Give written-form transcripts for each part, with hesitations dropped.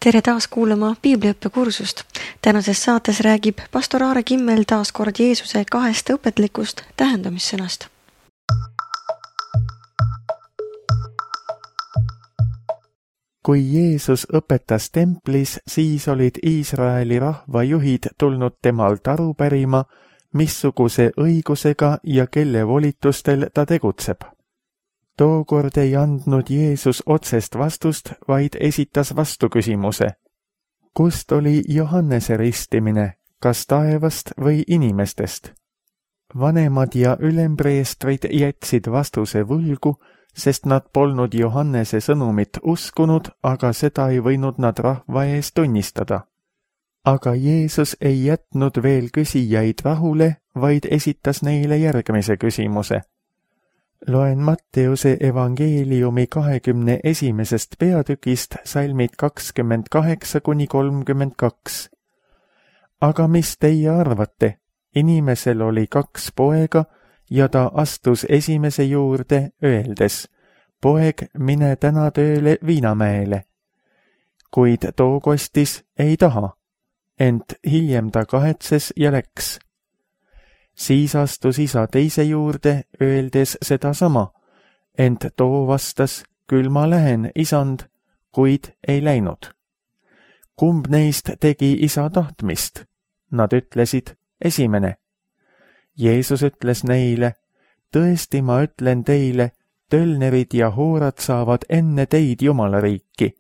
Tere taas kuulama piibliõppekursust. Tänases saates räägib pastor Aare Kimmel taas kord Jeesuse 2 õpetlikust tähendamissõnast. Kui Jeesus õpetas templis, siis olid Iisraeli rahvajuhid tulnud temalt aru pärima, missuguse õigusega ja kelle volitustel ta tegutseb. Tookord ei andnud Jeesus otsest vastust, vaid esitas vastuküsimuse. Kust oli Johannese ristimine, kas taevast või inimestest? Vanemad ja ülempreestrid jätsid vastuse võlgu, sest nad polnud Johannese sõnumit uskunud, aga seda ei võinud nad rahva ees tunnistada. Aga Jeesus ei jätnud veel küsijaid rahule, vaid esitas neile järgmise küsimuse. Loen Matteuse evangeeliumi 21. peatükist salmid 28–32. Aga mis teie arvate? Inimesel oli 2 poega ja ta astus esimese juurde, öeldes, poeg, mine täna tööle Viinamäele. Kuid too kostis ei taha, ent hiljem ta kahetses ja läks. Siis astus isa teise juurde, öeldes sedasama, ent too vastas, küll ma lähen, isand, kuid ei läinud. Kumb neist tegi isa tahtmist? Nad ütlesid, esimene. Jeesus ütles neile, tõesti ma ütlen teile, tölnerid ja hoorad saavad enne teid Jumala riiki,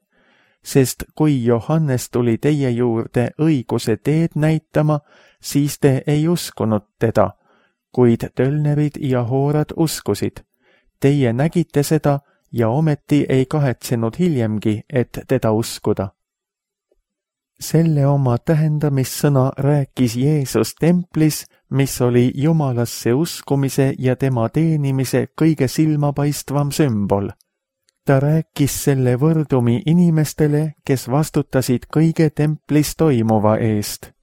sest kui Johannes tuli teie juurde õiguse teed näitama, siis te ei uskunud teda, kuid tölnerid ja hoorad uskusid. Teie nägite seda ja ometi ei kahetsenud hiljemgi, et teda uskuda. Selle oma tähendamissõna rääkis Jeesus templis, mis oli Jumalasse uskumise ja tema teenimise kõige silmapaistvam sümbol. Ta rääkis selle võrdumi inimestele, kes vastutasid kõige templis toimuva eest.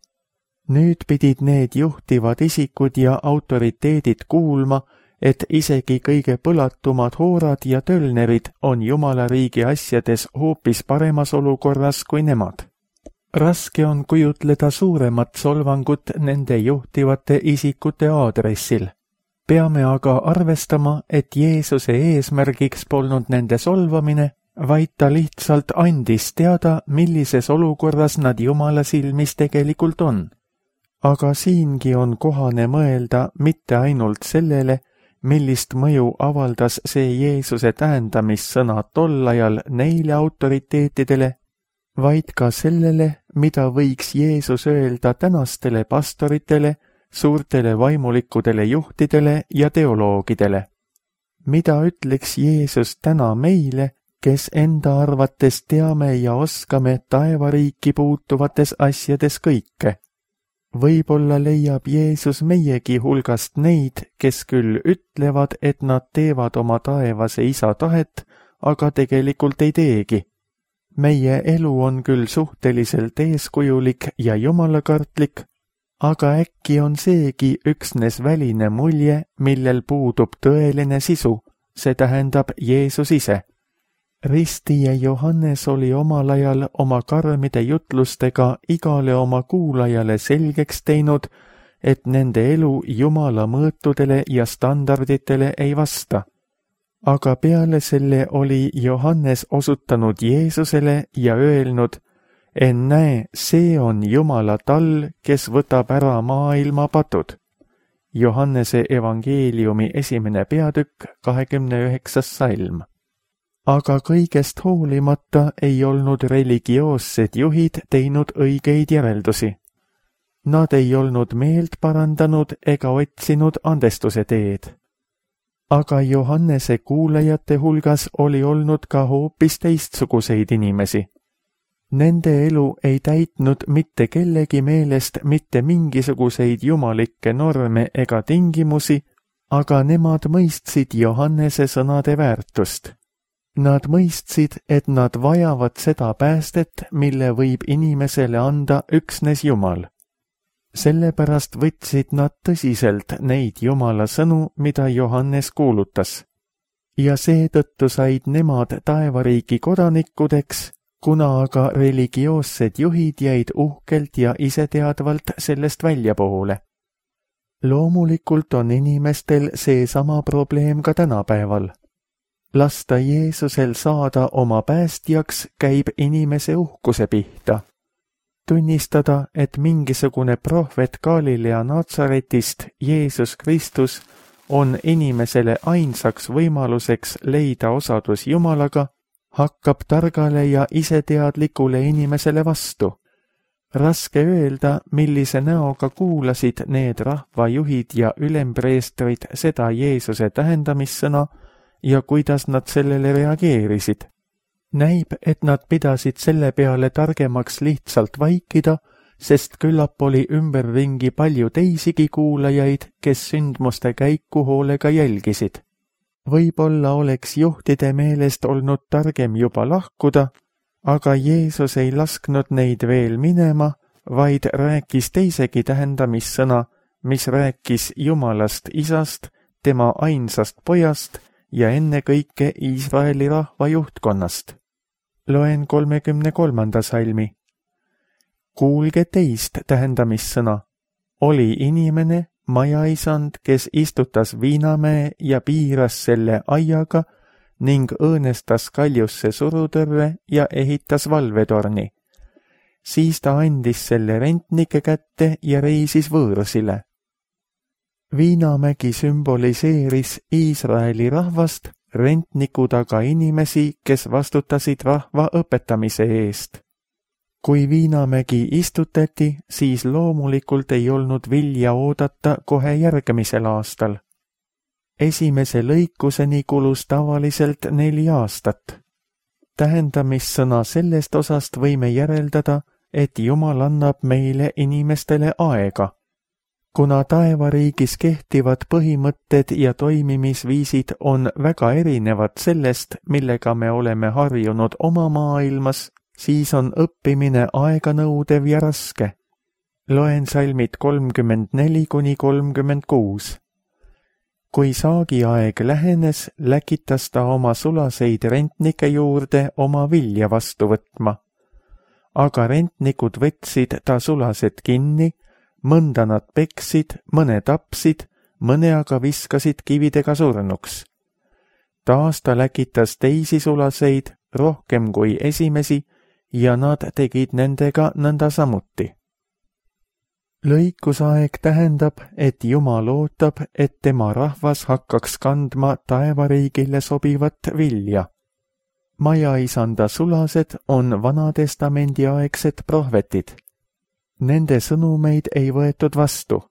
Nüüd pidid need juhtivad isikud ja autoriteedid kuulma, et isegi kõige põlatumad hoorad ja tölnerid on Jumala riigi asjades hoopis paremas olukorras kui nemad. Raske on kujutleda suuremat solvangut nende juhtivate isikute aadressil. Peame aga arvestama, et Jeesuse eesmärgiks polnud nende solvamine, vaid ta lihtsalt andis teada, millises olukorras nad Jumala silmis tegelikult on. Aga siingi on kohane mõelda mitte ainult sellele, millist mõju avaldas see Jeesuse tähendamissõna tol ajal neile autoriteetidele, vaid ka sellele, mida võiks Jeesus öelda tänastele pastoritele, suurtele vaimulikudele juhtidele ja teoloogidele. Mida ütleks Jeesus täna meile, kes enda arvates teame ja oskame taevariiki puutuvates asjades kõike? Võib-olla leiab Jeesus meiegi hulgast neid, kes küll ütlevad, et nad teevad oma taevase isa tahet, aga tegelikult ei teegi. Meie elu on küll suhteliselt eeskujulik ja jumalakartlik, aga äkki on seegi üksnes väline mulje, millel puudub tõeline sisu, see tähendab Jeesus ise. Ristija Johannes oli omal ajal oma karmide jutlustega igale oma kuulajale selgeks teinud, et nende elu Jumala mõõtudele ja standarditele ei vasta. Aga peale selle oli Johannes osutanud Jeesusele ja öelnud, ennäe, see on Jumala tall, kes võtab ära maailma patud. Johannese evangeeliumi 1. peatükk, 29. salm. Aga kõigest hoolimata ei olnud religioossed juhid teinud õigeid järeldusi. Nad ei olnud meelt parandanud ega otsinud andestuse teed. Aga Johannese kuulajate hulgas oli olnud ka hoopis teistsuguseid inimesi. Nende elu ei täitnud mitte kellegi meelest mitte mingisuguseid jumalikke norme ega tingimusi, aga nemad mõistsid Johannese sõnade väärtust. Nad mõistsid, et nad vajavad seda päästet, mille võib inimesele anda üksnes Jumal. Sellepärast võtsid nad tõsiselt neid Jumala sõnu, mida Johannes kuulutas. Ja seetõttu said nemad taevariigi kodanikudeks, kuna aga religioossed juhid jäid uhkelt ja iseteadvalt sellest väljapoole. Loomulikult on inimestel seesama probleem ka tänapäeval. Lasta Jeesusel saada oma päästjaks käib inimese uhkuse pihta. Tunnistada, et mingisugune prohvet Galilea Natsaretist, Jeesus Kristus, on inimesele ainsaks võimaluseks leida osadus Jumalaga, hakkab targale ja iseteadlikule inimesele vastu. Raske öelda, millise näoga kuulasid need rahvajuhid ja ülempreestrid seda Jeesuse tähendamissõna ja kuidas nad sellele reageerisid. Näib, et nad pidasid selle peale targemaks lihtsalt vaikida, sest küllap oli ümberringi palju teisigi kuulajaid, kes sündmuste käiku hoolega jälgisid. Võib-olla oleks juhtide meelest olnud targem juba lahkuda, aga Jeesus ei lasknud neid veel minema, vaid rääkis teisegi tähendamissõna, mis rääkis Jumalast Isast, tema ainsast pojast ja ennekõike Iisraeli rahva juhtkonnast. Loen 33. salmi. Kuulge teist tähendamissõna. Oli inimene, majaisand, kes istutas viinamäe ja piiras selle aiaga ning õõnestas kaljusse surutõrve ja ehitas valvetorni. Siis ta andis selle rentnike kätte ja reisis võõrsile. Viinamägi sümboliseeris Iisraeli rahvast, rentnikud aga inimesi, kes vastutasid rahva õpetamise eest. Kui viinamägi istutati, siis loomulikult ei olnud vilja oodata kohe järgmisel aastal. Esimese lõikuseni kulus tavaliselt 4 aastat. Tähendamissõna sellest osast võime järeldada, et Jumal annab meile inimestele aega. Kuna taevariigis kehtivad põhimõtted ja toimimisviisid on väga erinevad sellest, millega me oleme harjunud oma maailmas, siis on õppimine aeganõudev ja raske. Loen salmid 34–36. Kui saagiaeg lähenes, läkitas ta oma sulaseid rentnike juurde oma vilja vastu võtma. Aga rentnikud võtsid ta sulased kinni, mõnda nad peksid, mõne tapsid, mõne aga viskasid kividega surnuks. Taas ta läkitas teisi sulaseid, rohkem kui esimesi, ja nad tegid nendega nõnda samuti. Lõikusaeg tähendab, et Jumal ootab, et tema rahvas hakkaks kandma taevariigile sobivat vilja. Majaisanda sulased on Vanatestamendi aegsed prohvetid. Nende sõnumeid ei võetud vastu.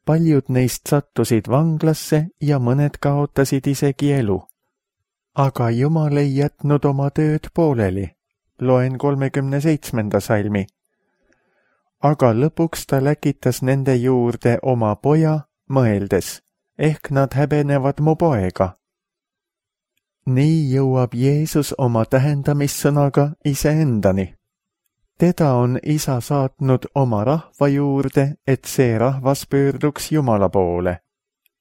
Paljud neist sattusid vanglasse ja mõned kaotasid isegi elu. Aga Jumal ei jätnud oma tööd pooleli. Loen 37. salmi. Aga lõpuks ta läkitas nende juurde oma poja, mõeldes, ehk nad häbenevad mu poega. Nii jõuab Jeesus oma tähendamissõnaga iseendani. Teda on Isa saatnud oma rahva juurde, et see rahvas pöörduks Jumala poole.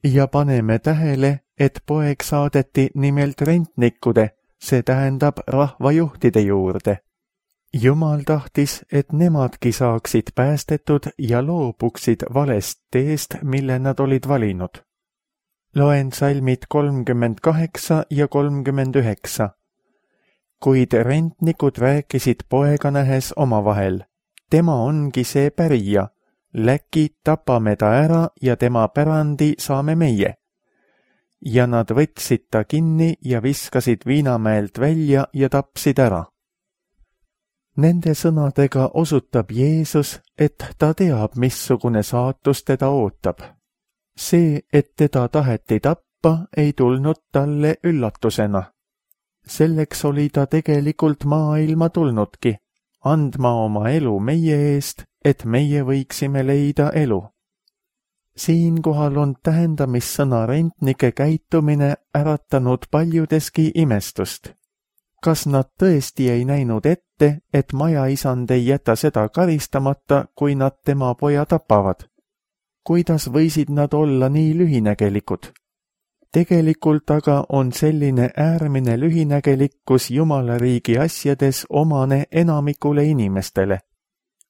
Ja paneme tähele, et poeg saadeti nimelt rentnikude, see tähendab rahvajuhtide juurde. Jumal tahtis, et nemadki saaksid päästetud ja loobuksid valest teest, mille nad olid valinud. Loen salmid 38 ja 39. Kuid rentnikud rääkisid poega nähes omavahel. Tema ongi see pärija. Läki tapame ta ära ja tema pärandi saame meie. Ja nad võtsid ta kinni ja viskasid viinamäelt välja ja tapsid ära. Nende sõnadega osutab Jeesus, et ta teab, missugune saatus teda ootab. See, et teda taheti tappa, ei tulnud talle üllatusena. Selleks oli ta tegelikult maailma tulnudki, andma oma elu meie eest, et meie võiksime leida elu. Siinkohal on tähendamissõna rentnike käitumine äratanud paljudeski imestust. Kas nad tõesti ei näinud ette, et majaisand ei jäta seda karistamata, kui nad tema poja tapavad? Kuidas võisid nad olla nii lühinägelikud? Tegelikult aga on selline äärmine lühinägelikkus Jumala riigi asjades omane enamikule inimestele.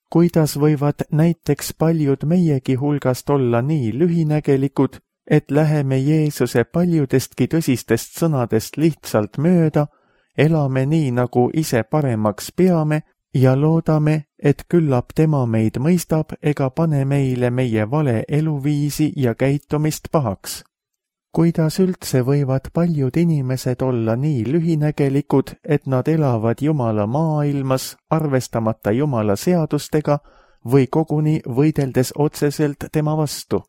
Kuidas võivad näiteks paljud meiegi hulgast olla nii lühinägelikud, et läheme Jeesuse paljudestki tõsistest sõnadest lihtsalt mööda, elame nii, nagu ise paremaks peame ja loodame, et küllap tema meid mõistab ega pane meile meie vale eluviisi ja käitumist pahaks. Kuidas üldse võivad paljud inimesed olla nii lühinägelikud, et nad elavad Jumala maailmas, arvestamata Jumala seadustega või koguni võideldes otseselt tema vastu?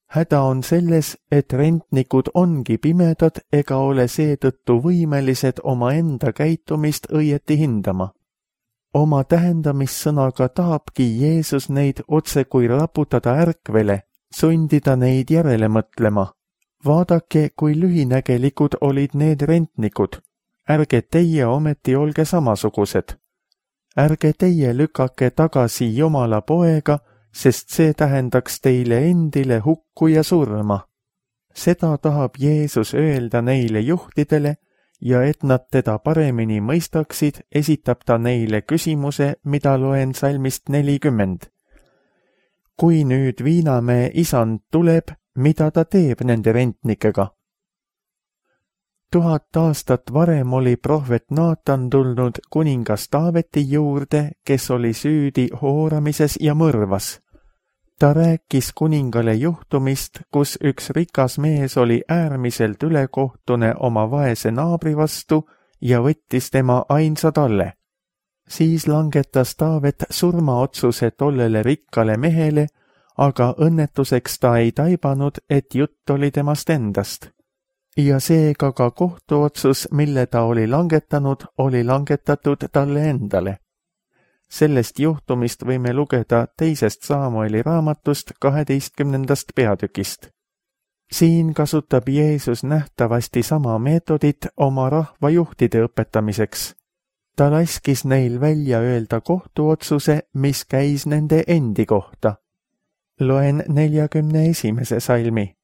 Häda on selles, et rentnikud ongi pimedad ega ole seetõttu võimelised omaenda käitumist õieti hindama. Oma tähendamissõnaga tahabki Jeesus neid otse kui raputada ärkvele, sundida neid järele mõtlema. Vaadake, kui lühinägelikud olid need rentnikud. Ärge teie ometi olge samasugused. Ärge teie lükake tagasi Jumala poega, sest see tähendaks teile endile hukku ja surma. Seda tahab Jeesus öelda neile juhtidele ja et nad teda paremini mõistaksid, esitab ta neile küsimuse, mida loen salmist 40. Kui nüüd Viinamäe isand tuleb, mida ta teeb nende rentnikega? 1000 aastat varem oli prohvet Naatan tulnud kuningas Taaveti juurde, kes oli süüdi hooramises ja mõrvas. Ta rääkis kuningale juhtumist, kus üks rikas mees oli äärmiselt ülekohtune oma vaese naabri vastu ja võttis tema ainsa talle. Siis langetas Taavet surmaotsuse tollele rikkale mehele, aga õnnetuseks ta ei taibanud, et jutt oli temast endast. Ja seega ka kohtuotsus, mille ta oli langetanud, oli langetatud talle endale. Sellest juhtumist võime lugeda 2. Saamueli raamatust 12. peatükist. Siin kasutab Jeesus nähtavasti sama meetodit oma rahvajuhtide õpetamiseks. Ta laskis neil välja öelda kohtuotsuse, mis käis nende endi kohta. Loen 41. salmi.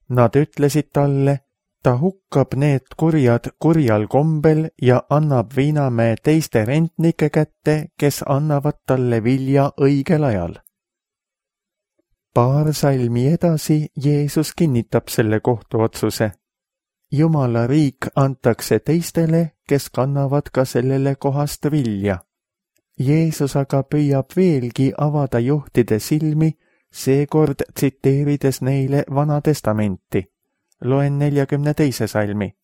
Nad ütlesid talle, ta hukkab need kurjad kurjal kombel ja annab Viinamäe teiste rentnike kätte, kes annavad talle vilja õigel ajal. Paar salmi edasi Jeesus kinnitab selle kohtuotsuse. Jumala riik antakse teistele, kes kannavad ka sellele kohast vilja. Jeesus aga püüab veelgi avada juhtide silmi, seekord tsiteerides neile Vana Testamenti. Loen 42. salmi.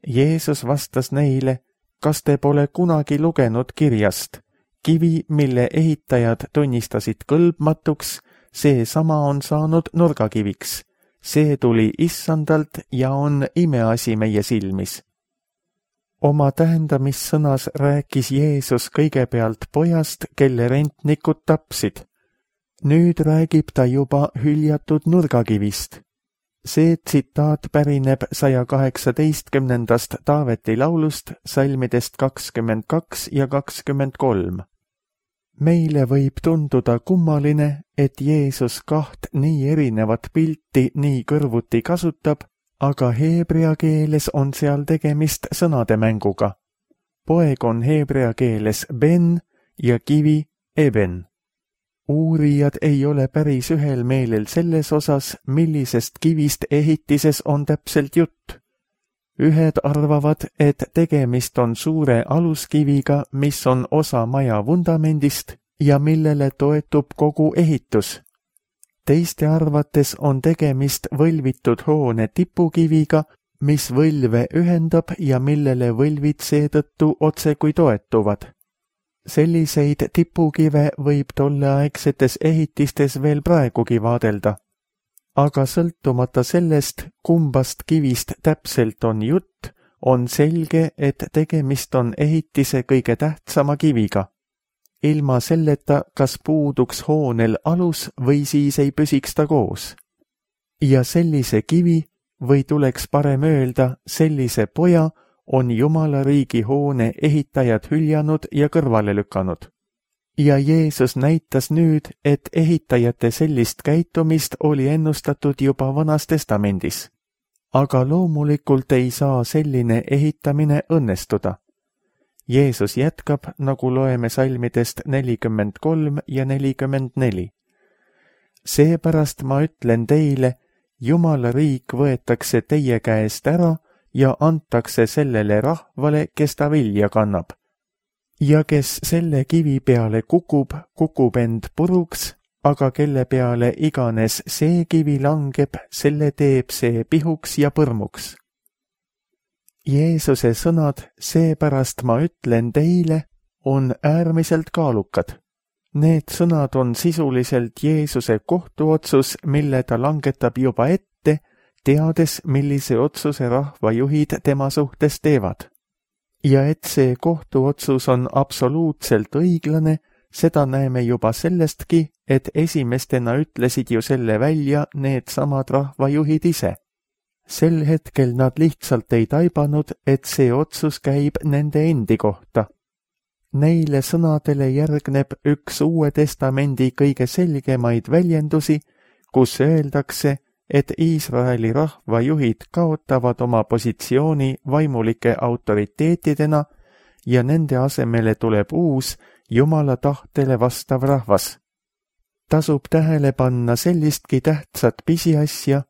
Jeesus vastas neile, kas te pole kunagi lugenud kirjast? Kivi, mille ehitajad tunnistasid kõlbmatuks, seesama on saanud nurgakiviks. See tuli Issandalt ja on imeasi meie silmis. Oma tähendamissõnas rääkis Jeesus kõigepealt pojast, kelle rentnikud tapsid. Nüüd räägib ta juba hüljatud nurgakivist. See tsitaat pärineb 118. Taaveti laulust, salmidest 22 ja 23. Meile võib tunduda kummaline, et Jeesus 2 nii erinevat pilti nii kõrvuti kasutab, aga heebrea keeles on seal tegemist sõnademänguga. Poeg on heebrea keeles ben ja kivi eben. Uurijad ei ole päris ühel meelel selles osas, millisest kivist ehitises on täpselt jutt. Ühed arvavad, et tegemist on suure aluskiviga, mis on osa maja vundamendist ja millele toetub kogu ehitus. Teiste arvates on tegemist võlvitud hoone tipukiviga, mis võlve ühendab ja millele võlvid seetõttu otsekui toetuvad. Selliseid tipukive võib tolleaegsetes ehitistes veel praegugi vaadelda. Aga sõltumata sellest, kumbast kivist täpselt on jutt, on selge, et tegemist on ehitise kõige tähtsama kiviga. Ilma selleta, kas puuduks hoonel alus või siis ei püsiks ta koos. Ja sellise kivi, või tuleks parem öelda, sellise poja, on Jumala riigi hoone ehitajad hüljanud ja kõrvale lükanud. Ja Jeesus näitas nüüd, et ehitajate sellist käitumist oli ennustatud juba Vanas Testamendis. aga loomulikult ei saa selline ehitamine õnnestuda. Jeesus jätkab, nagu loeme salmidest 43 ja 44. Seepärast ma ütlen teile, Jumala riik võetakse teie käest ära ja antakse sellele rahvale, kes ta vilja kannab. Ja kes selle kivi peale kukub, kukub end puruks, aga kelle peale iganes see kivi langeb, selle teeb see pihuks ja põrmuks. Jeesuse sõnad, seepärast ma ütlen teile, on äärmiselt kaalukad. Need sõnad on sisuliselt Jeesuse kohtuotsus, mille ta langetab juba ette, teades, millise otsuse rahvajuhid tema suhtes teevad. Ja et see kohtuotsus on absoluutselt õiglane, seda näeme juba sellestki, et esimestena ütlesid ju selle välja needsamad rahvajuhid ise. Sel hetkel nad lihtsalt ei taibanud, et see otsus käib nende endi kohta. Neile sõnadele järgneb üks Uue Testamendi kõige selgemaid väljendusi, kus öeldakse, et Iisraeli rahvajuhid kaotavad oma positsiooni vaimulike autoriteetidena ja nende asemele tuleb uus, Jumala tahtele vastav rahvas. Tasub tähele panna sellistki tähtsat pisiasja,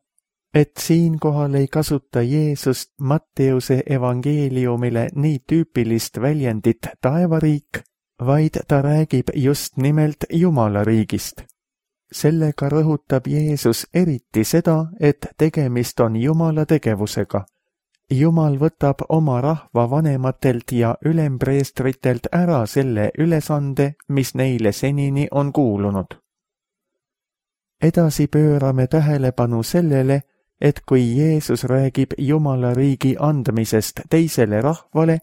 et siinkohal ei kasuta Jeesust Matteuse evangeeliumile nii tüüpilist väljendit taevariik, vaid ta räägib just nimelt Jumala riigist. Sellega rõhutab Jeesus eriti seda, et tegemist on Jumala tegevusega. Jumal võtab oma rahva vanematelt ja ülempreestritelt ära selle ülesande, mis neile senini on kuulunud. Edasi pöörame tähelepanu sellele, et kui Jeesus räägib Jumala riigi andmisest teisele rahvale,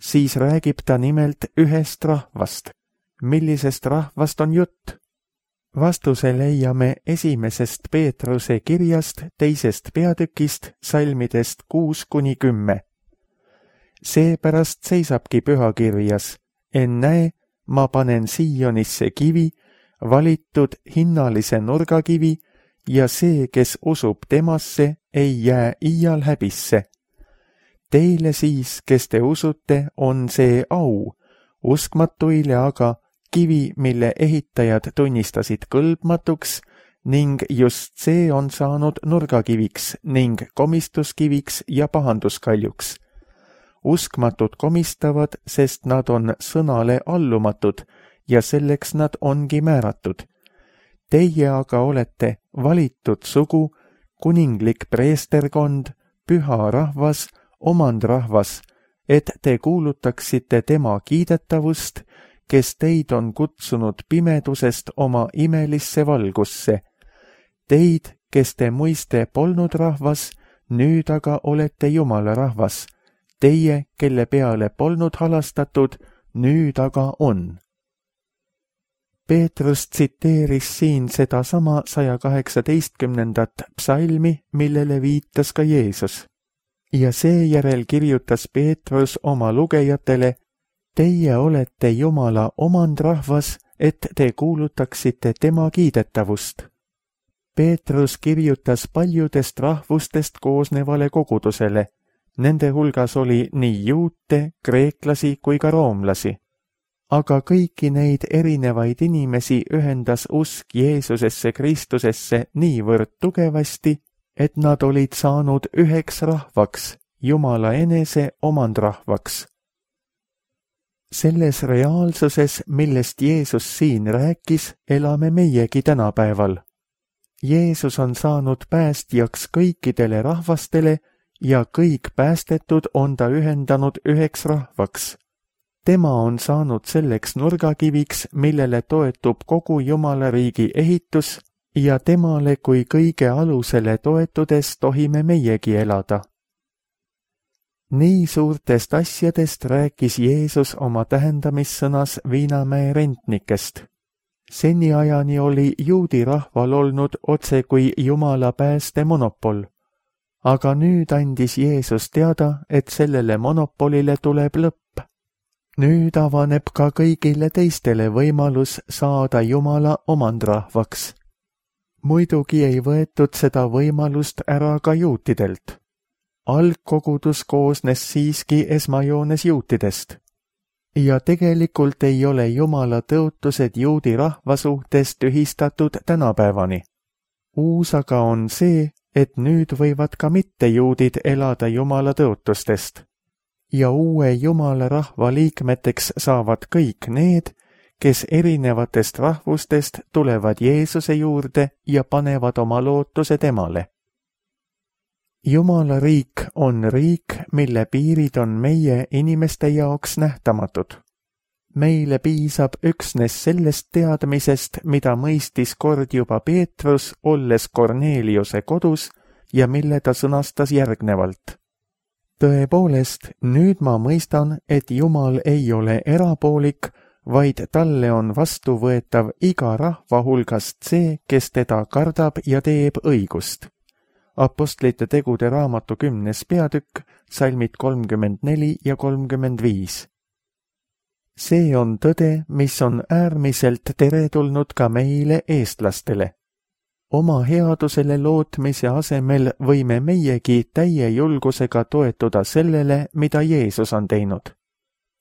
siis räägib ta nimelt ühest rahvast. Millisest rahvast on jutt? Vastuse leiame esimesest Peetruse kirjast 2. peatükist salmidest 6-10. Seepärast seisabki pühakirjas, ennäe, ma panen Siionisse kivi, valitud hinnalise nurgakivi, ja see, kes usub temasse, ei jää iial häbisse. Teile siis, kes te usute, on see au, uskmatuile aga kivi, mille ehitajad tunnistasid kõlbmatuks, ning just see on saanud nurgakiviks ning komistuskiviks ja pahanduskaljuks. Uskmatud komistavad, sest nad on sõnale allumatud ja selleks nad ongi määratud. Teie aga olete valitud sugu, kuninglik preesterkond, püha rahvas, omandrahvas, et te kuulutaksite tema kiidetavust, kes teid on kutsunud pimedusest oma imelisse valgusse. Teid, kes te muiste polnud rahvas, nüüd aga olete Jumala rahvas. Teie, kelle peale polnud halastatud, nüüd aga on. Peetrus tsiteeris siin sedasama 118. psalmi, millele viitas ka Jeesus. Ja seejärel kirjutas Peetrus oma lugejatele, teie olete Jumala omandrahvas, et te kuulutaksite tema kiidetavust. Peetrus kirjutas paljudest rahvustest koosnevale kogudusele. Nende hulgas oli nii juute, kreeklasi kui ka roomlasi. Aga kõiki neid erinevaid inimesi ühendas usk Jeesusesse Kristusesse niivõrd tugevasti, et nad olid saanud üheks rahvaks, Jumala enese omandrahvaks. Selles reaalsuses, millest Jeesus siin rääkis, elame meiegi tänapäeval. Jeesus on saanud päästjaks kõikidele rahvastele ja kõik päästetud on ta ühendanud üheks rahvaks. Tema on saanud selleks nurgakiviks, millele toetub kogu Jumala riigi ehitus ja temale kui kõige alusele toetudes tohime meiegi elada. Nii suurtest asjadest rääkis Jeesus oma tähendamissõnas Viinamäe rentnikest. Seniajani oli juudi rahval olnud otse kui Jumala pääste monopol. Aga nüüd andis Jeesus teada, et sellele monopolile tuleb lõpp. Nüüd avaneb ka kõigile teistele võimalus saada Jumala omandrahvaks. Muidugi ei võetud seda võimalust ära ka juutidelt. algkogudus koosnes siiski esmajoones juutidest. Ja tegelikult ei ole Jumala tõotused juudi rahva suhtes tühistatud tänapäevani. Uus aga on see, et nüüd võivad ka mittejuudid elada Jumala tõotustest. Ja uue Jumala rahva liikmeteks saavad kõik need, kes erinevatest rahvustest tulevad Jeesuse juurde ja panevad oma lootuse temale. Jumala riik on riik, mille piirid on meie inimeste jaoks nähtamatud. Meile piisab üksnes sellest teadmisest, mida mõistis kord juba Peetrus, olles Korneliuse kodus ja mille ta sõnastas järgnevalt. Tõepoolest, nüüd ma mõistan, et Jumal ei ole erapoolik, vaid talle on vastuvõetav iga rahva hulgast see, kes teda kardab ja teeb õigust. Apostlite tegude raamatu 10. peatükk, salmid 34 ja 35. See on tõde, mis on äärmiselt teretulnud ka meile eestlastele. Oma headusele lootmise asemel võime meiegi täie julgusega toetuda sellele, mida Jeesus on teinud.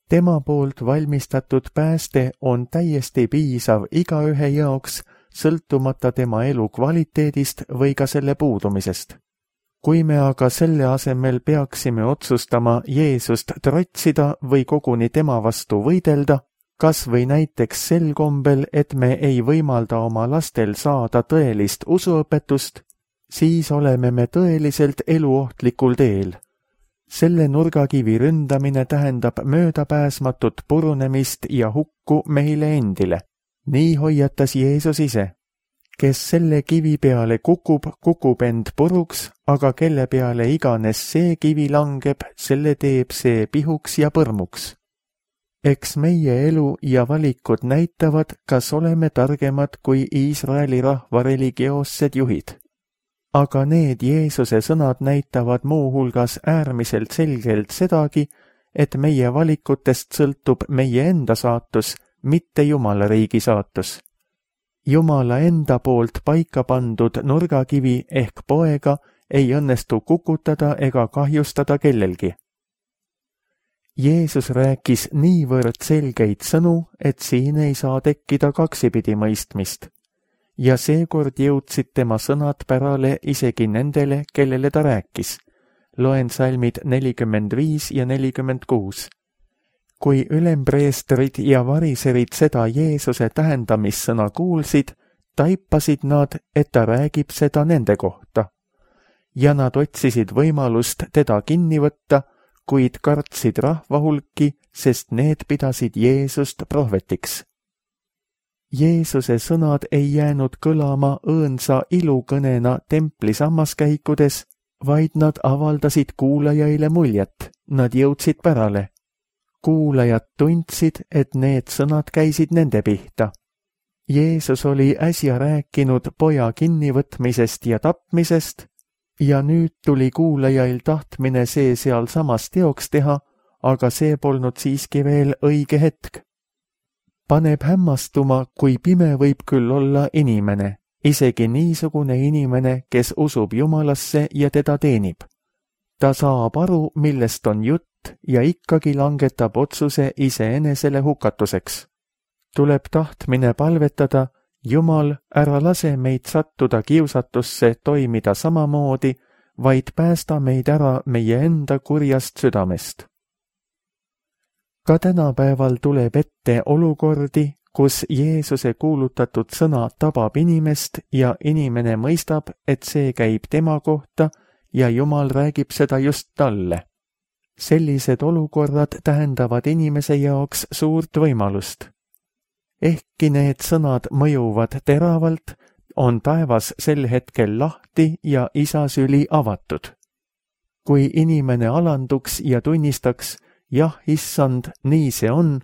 Tema poolt valmistatud pääste on täiesti piisav igaühe jaoks, sõltumata tema elu kvaliteedist või ka selle puudumisest. Kui me aga selle asemel peaksime otsustama Jeesust trotsida või koguni tema vastu võidelda, kas või näiteks sel kombel, et me ei võimalda oma lastel saada tõelist usuõpetust, siis oleme me tõeliselt eluohtlikul teel. Selle nurgakivi ründamine tähendab möödapääsmatut purunemist ja hukku meile endile. Nii hoiatas Jeesus ise. Kes selle kivi peale kukub end puruks, aga kelle peale iganes see kivi langeb, selle teeb see pihuks ja põrmuks. Eks meie elu ja valikud näitavad, kas oleme targemad kui Iisraeli rahva religioossed juhid. Aga need Jeesuse sõnad näitavad muuhulgas äärmiselt selgelt sedagi, et meie valikutest sõltub meie enda saatus, mitte Jumala riigi saatus. Jumala enda poolt paika pandud nurgakivi ehk poega ei õnnestu kukutada ega kahjustada kellelgi. Jeesus rääkis niivõrd selgeid sõnu, et siin ei saa tekkida kaksipidi mõistmist. Ja seekord jõudsid tema sõnad pärale isegi nendele, kellele ta rääkis. Loen salmid 45 ja 46. Kui ülempreestrid ja variserid seda Jeesuse tähendamissõna kuulsid, taipasid nad, et ta räägib seda nende kohta. Ja nad otsisid võimalust teda kinni võtta, kuid kartsid rahva hulki, sest need pidasid Jeesust prohvetiks. Jeesuse sõnad ei jäänud kõlama õõnsa ilukõnena templi sammaskäikudes, vaid nad avaldasid kuulajaile muljet, nad jõudsid pärale. Kuulajad tundsid, et need sõnad käisid nende pihta. Jeesus oli äsja rääkinud poja kinnivõtmisest ja tapmisest ja nüüd tuli kuulajail tahtmine see sealsamas teoks teha, aga see polnud siiski veel õige hetk. Paneb hämmastuma, kui pime võib küll olla inimene, isegi niisugune inimene, kes usub Jumalasse ja teda teenib. Ta saab aru, millest on jutt ja ikkagi langetab otsuse iseenesele hukatuseks. Tuleb tahtmine palvetada, Jumal, ära lase meid sattuda kiusatusse toimida samamoodi, vaid päästa meid ära meie enda kurjast südamest. Ka tänapäeval tuleb ette olukordi, kus Jeesuse kuulutatud sõna tabab inimest ja inimene mõistab, et see käib tema kohta ja Jumal räägib seda just talle. Sellised olukorrad tähendavad inimese jaoks suurt võimalust. Ehkki need sõnad mõjuvad teravalt, on taevas sel hetkel lahti ja isa süli avatud. Kui inimene alanduks ja tunnistaks, jah, issand, nii see on,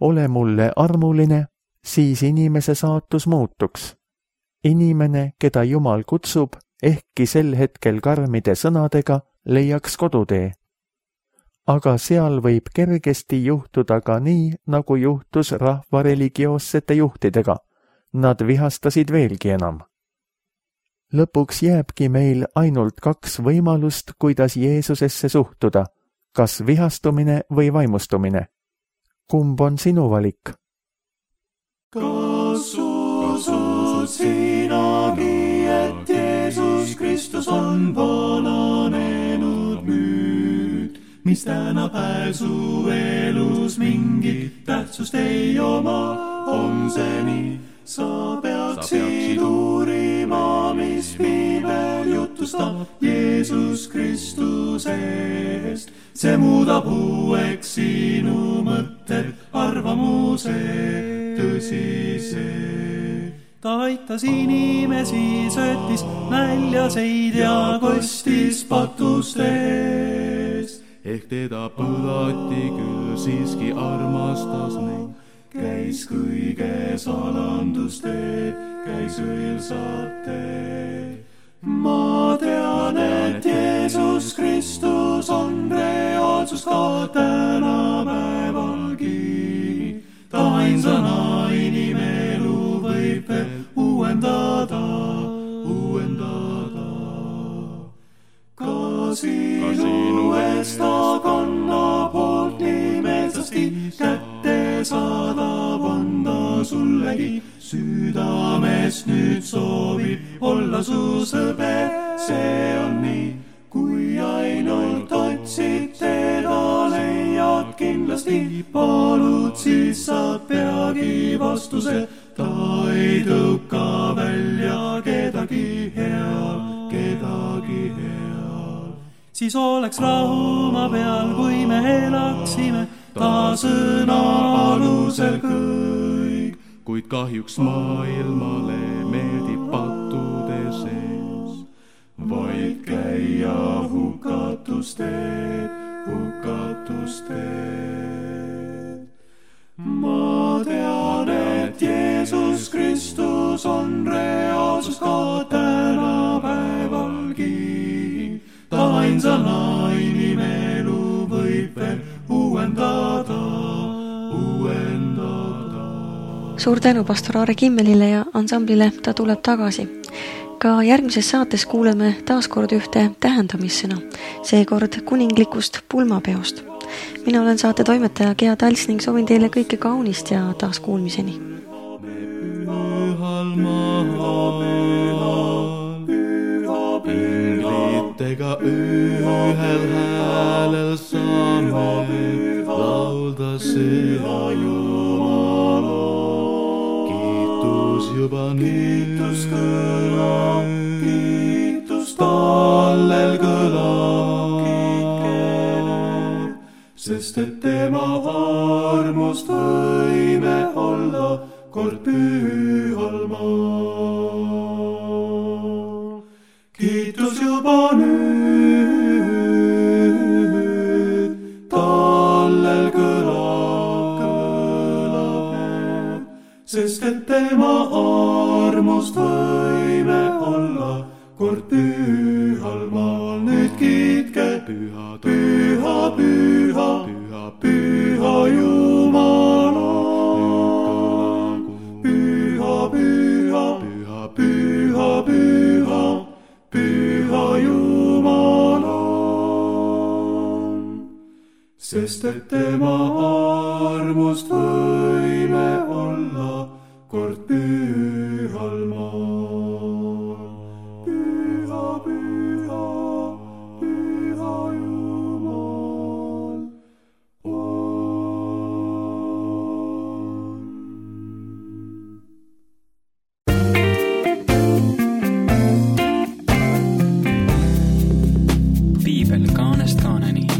ole mulle armuline, siis inimese saatus muutuks. Inimene, keda Jumal kutsub, ehkki sel hetkel karmide sõnadega, leiaks kodutee. Aga seal võib kergesti juhtuda ka nii, nagu juhtus rahva religioossete juhtidega. Nad vihastasid veelgi enam. lõpuks jääbki meil ainult 2 võimalust, kuidas Jeesusesse suhtuda, kas vihastumine või vaimustumine. Kumb on sinu valik? Kas usud sinagi, et Jeesus Kristus on vananenud müüt, mis tänapäev su elus mingit tähtsust ei oma, on see nii? Sa peaksid uurima, mis piibel jutustab Jeesus Kristusest. See muudab uueks sinu mõtted, arvamuse tõsise. Ta aitas inimesi, söötis näljaseid ja kostis patustest. Ehk teda põlati, küll siiski armastas neid. Käis kõige salandusteed, käis õilsate. Ma tean, et Jeesus Kristus on reaalsus ka tänapäevalgi. Ta ainsana inimelu võib veel uuendada. Ka sinu eest ta kannab hoolt nii meelsasti, kätte saadab anda sullegi. Südamest nüüd soovib olla su sõber, see on nii. Kui ainult otsid teda, leiad kindlasti. Palud, siis saad peagi vastuse. Ta ei tõuka välja kedagi heal. Siis oleks rahu maa peal, kui me elaksime ta sõna alusel kõik. Kuid kahjuks maailmale meeldib pattude sees vaid käia hukatusteed. Ma tean, et Jeesus Kristus on reaalsus ka tänapäevalgi. Ta ainsana inimelu võib veel uuendada. Suur tänu pastor Aare Kimmelile ja ansamblile Ta tuleb tagasi. Ka järgmises saates kuuleme taaskord ühte tähendamissõna, seekord kuninglikust pulmapeost. Mina olen saate toimetaja Gea Tals ning soovin teile kõike kaunist ja taas kuulmiseni. Inglitega ühel häälel saame laulda seda Jumala. Kiitus juba nüüd, kiitus tallel kõlab, sest et tema armust võime olla kord pühal maal. Kiitus juba nüüd, tallel kõlab, sest et tema armust võime olla kord pühal maal. Nüüd kiitke püha, püha, püha, püha, püha Jumala. Püha, püha, püha, püha, püha, püha Jumala. Sest et tema armust võime olla kord pühal maal. Püha, püha, püha Jumal on. Piibel kaanest kaaneni.